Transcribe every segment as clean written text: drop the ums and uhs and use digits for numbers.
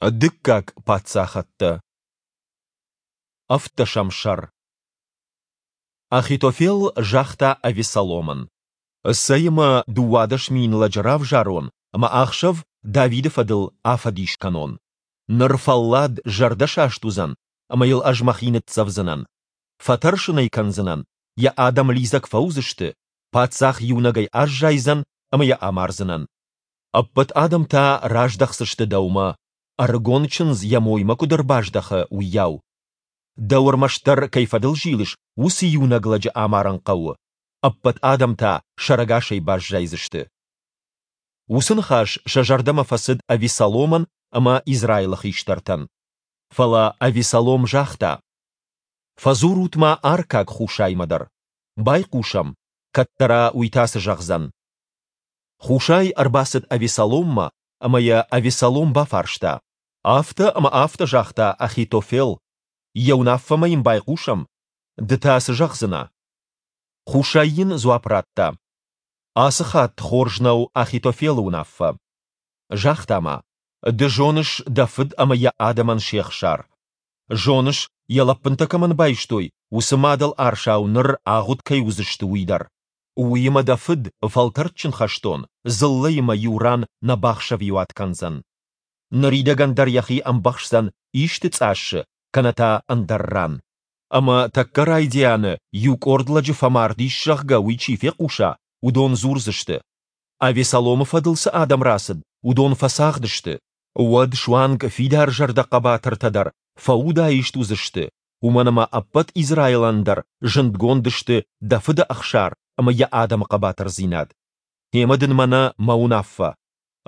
Дыккаг паддзахӕдтӕ. Ӕвддӕсӕм сӕр. Ахитофел загъта Авессаломӕн: Цӕй ӕмӕ 12 000 лӕджы равзарон ӕмӕ ахсӕв Давиды фӕдыл афӕдис кӕнон. Ныр фӕллад, зӕрдӕсаст уыдзӕн, ӕмӕ йыл ӕз мӕхи ныццӕвдзынӕн. Фӕтӕрсын ӕй кӕндзынӕн, йӕ адӕм лидзӕг фӕуыдзысты, паддзах иунӕгӕй аззайдзӕн ӕмӕ йӕ амардзынӕн. Ӕппӕт адӕм та раздӕхдзысты дӕумӕ, ӕрыгон чындз йӕ моймӕ куыд ӕрбаздӕхы, уыйау. Дӕу ӕрмӕстдӕр кӕй фӕдыл зилыс, уыцы иунӕг лӕджы амарын хъӕуы, ӕппӕт адӕм та сӕрӕгасӕй баззайдзысты. Уыцы ныхас сӕ зӕрдӕмӕ фӕцыд Авессаломӕн ӕмӕ Израилы хистӕртӕн. Фӕлӕ Авессалом загъта: Фӕдзурут-ма аркаг Хусаймӕ дӕр. Байхъусӕм, кӕддӕра уый та цы зӕгъдзӕн. Хусай ӕрбацыд Авессаломмӕ, ӕмӕ йӕ Авессалом бафарста: Афтӕ ӕмӕ афтӕ загъта Ахитофел. Йӕ уынаффӕмӕ йын байхъусӕм? Ды та цы зӕгъдзынӕ? Хусай йын дзуапп радта: Ацы хатт хорз нӕу Ахитофелы уынаффӕ. Загъта ма: Ды зоныс дӕ фыд ӕмӕ йӕ адӕмӕн се хсар. Зоныс, йӕ лӕппынтӕ кӕмӕн байстой, уыцы мадӕл арсау ныр агъуыд кӕй уыдзысты, уый дӕр. Уыимӕ дӕ фыд, фӕлтӕрдджын хӕстон, дзыллӕимӕ иу ран нӕ бахсӕвиуат кӕндзӕн. Ныридӕгӕн дӕр йӕхи ӕмбӕхсдзӕн исты цъассы кӕнӕ та ӕндӕр ран. Ӕмӕ тӕккӕ райдианы иу къорд лӕджы фӕмард ис, зӕгъгӕ, уый чи фехъуса, уыдон дзурдзысты: Авессаломы фӕдыл цы адӕм рацыд, уыдон фӕцагъды сты. Уӕд суанг фидарзӕрдӕ хъӕбатыртӕ дӕр фӕудаист уыдзысты, уымӕн ӕмӕ ӕппӕт Израилӕн дӕр зындгонд сты дӕ фыды ӕхсар ӕмӕ йӕ адӕмы хъӕбатырдзинад. Гъемӕ дын мӕнӕ мӕ уынаффӕ.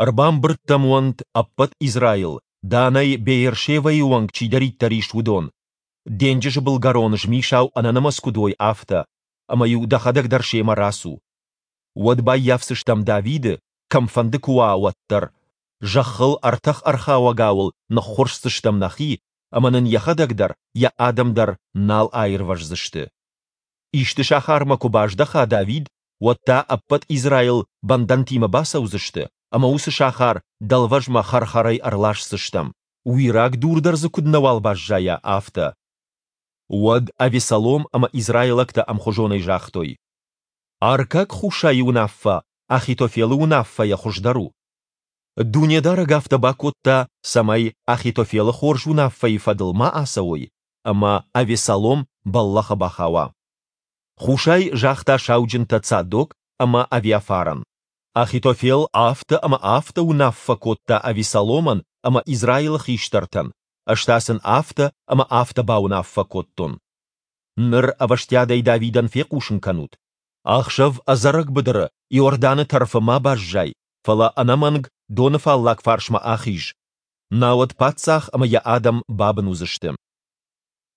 Ӕрбамбырд дӕм уӕнт ӕппӕт Израил, Данӕй Беершевӕйы онг чидӕриддӕр ис, уыдон, денджызы былгӕрон змисау ӕнӕнымӕц куыд уой, афтӕ, ӕмӕ-иу дӕхӕдӕг дӕр семӕ рацу. Уӕд баййафдзыстӕм Давиды, кӕмфӕнды куы уа, уӕддӕр. Зӕххыл ӕртӕх ӕрхауӕгау ыл ныххуырсдзыстӕм нӕхи, ӕмӕ нын йӕхӕдӕг дӕр, йӕ адӕм дӕр нал аирвӕздзысты. Исты сахармӕ куы баздӕха Давид, уӕд та ӕппӕт Израил бӕндӕнтимӕ бацӕудзысты ӕмӕ уыцы сахар дӕлвӕзмӕ хӕр-хӕрӕй ӕрласдзыстӕм, уираг дур дӕр дзы куыд нӕуал баззайа, афтӕ. Уӕд Авессалом ӕмӕ израилӕгтӕ ӕмхуызонӕй загътой: Аркаг Хусайы уынаффӕ Ахитофелы уынаффӕйӕ хуыздӕр у. Дунедарӕг афтӕ бакодта, цӕмӕй Ахитофелы хорз уынаффӕйы фӕдыл ма ацӕуой ӕмӕ Авессалом бӕллӕхы бахауа. Хусай загъта сауджынтӕ Цадок ӕмӕ Авиафарӕн: Ахитофел афтӕ ӕмӕ афтӕ уынаффӕ кодта Авессаломӕн ӕмӕ Израилы хистӕртӕн, ӕз та сын афтӕ ӕмӕ афтӕ бауынаффӕ кодтон. Ныр ӕвӕстиатӕй Давидӕн фехъусын кӕнут: Ахсӕв ӕдзӕрӕг быдыры Иорданы тӕрфы ма баззай, фӕлӕ ӕнӕмӕнг доны фаллаг фарсмӕ ахиз, науӕд паддзах ӕмӕ йӕ адӕм бабын уыдзысты.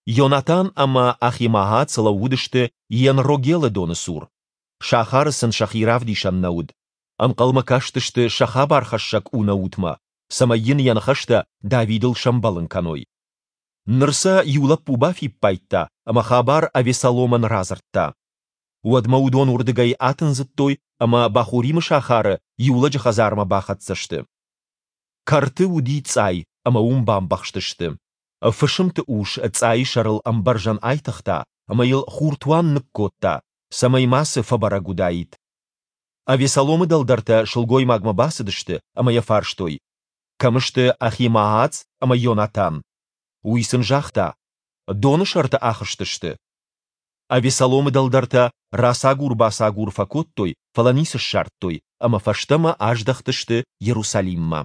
Йонатан ӕмӕ Ахимаац лӕууыдысты Енрогелы доны цур. Сахары сын сӕхи равдисӕн нӕ уыд. Ӕнхъӕлмӕ кастысты сӕ хабархӕссӕг Унаутмӕ, цӕмӕй йын йӕ ныхӕстӕ Давидыл сӕмбӕлын кӕной. Ныр сӕ иу лӕппу бафиппайдта ӕмӕ хабар Авессаломӕн радзырдта. Уӕдмӕ уыдон уырдыгӕй атындзыдтой ӕмӕ Бахуримы сахары иу лӕджы хӕдзармӕ бахӕццӕ сты. Кӕрты уыди цъай ӕмӕ уым бамбӕхстысты. Фысымты ус цъайы сӕрыл ӕмбӕрзӕн айтыгъта ӕмӕ йыл хуртуан ныккодта, цӕмӕй мацы фӕбӕрӕг уыдаид. Авессаломы дӕлдӕртӕ сылгоймагмӕ бацыдысты ӕмӕ йӕ фарстой, кӕм сты Ахимаац ӕмӕ Йонатан. Уый сын загъта, доны сӕрты ахызтысты. Авессаломы дӕлдӕртӕ рацагур-бацагур фӕкодтой, фӕлӕ ницы ссардтой ӕмӕ фӕстӕмӕ аздӕхтысты Иерусалиммӕ.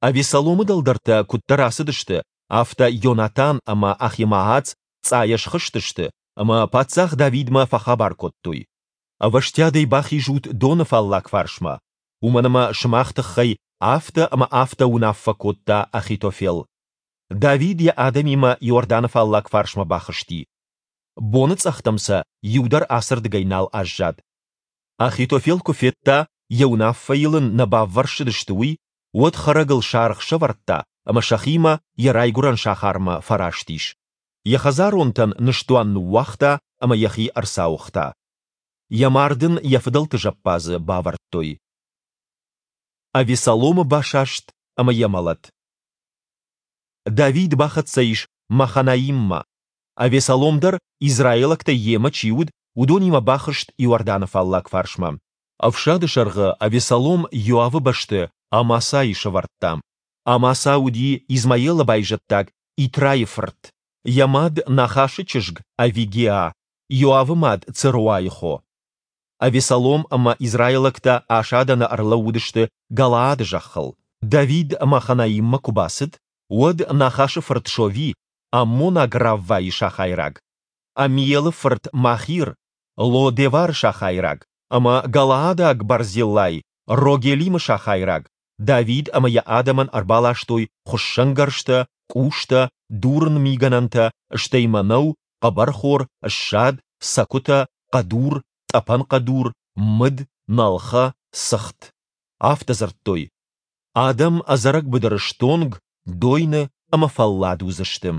Авессаломы дӕлдӕртӕ куыддӕр ацыдысты, афтӕ Йонатан ӕмӕ Ахимаац цъайӕ схызтысты ӕмӕ паддзах Давидмӕ фӕхабар кодтой: Ӕвӕстиатӕй бахизут доны фаллаг фарсмӕ, уымӕн ӕмӕ сымах тыххӕй афтӕ ӕмӕ афтӕ уынаффӕ кодта Ахитофел. Давид йӕ адӕмимӕ Иорданы фаллаг фарсмӕ бахызти. Боныцъӕхтӕм сӕ иу дӕр ацырдыгӕй нал аззад. Ахитофел куы федта, йӕ уынаффӕйыл ын нӕ баввӕрсыдысты, уый, уӕд хӕрӕгыл саргъ сӕвӕрдта ӕмӕ сӕхимӕ йӕ райгуырӕн сахармӕ фӕраст ис. Йӕ хӕдзаронтӕн ныстуан ныууагъта ӕмӕ йӕхи ӕрцауыгъта. Йӕ мард ын йӕ фыдӕлты зӕппадзы бавӕрдтой. Авессаломы басаст ӕмӕ йӕ мӕлӕт. Давид бахӕццӕ ис Маханаиммӕ. Авессалом дӕр, израилӕгтӕй йемӕ чи уыд, уыдонимӕ бахызт Иорданы фаллаг фарсмӕ. Ӕфсады сӕргъы Авессалом Иоавы бӕсты Амасайы сӕвӕрдта. Амаса уыди Измаилы байзӕддаг Итрайы фырт, йӕ мад Нахашы чызг Авигеа, Иоавы мад Церуайы хо. Авессалом ӕмӕ израилӕгтӕ асадӕны ӕрлӕууыдысты Галаады зӕххыл. Давид Маханаиммӕ куы бацыд, уӕд Нахашы фырт Шови, аммонаг Раввайы сахайраг, Аммиелы фырт Махир, Ло-Девары сахайраг, ӕмӕ галаадаг Барзиллай, Рогелимы сахайраг, Давид ӕмӕ йӕ адӕмӕн ӕрбаластой хуыссӕнгӕрзтӕ, къустӕ, дурын мигӕнӕнтӕ, стӕй мӕнӕу, хъӕбӕрхор, ссад, цӕкуытӕ, хъӕдур, тъӕпӕн хъӕдур, мыд, нӕлхӕ, цыхт. Афтӕ дзырдтой, Адӕм ӕдзӕрӕг быдыры стонг, дойны ӕмӕ фӕллад уыдзысты.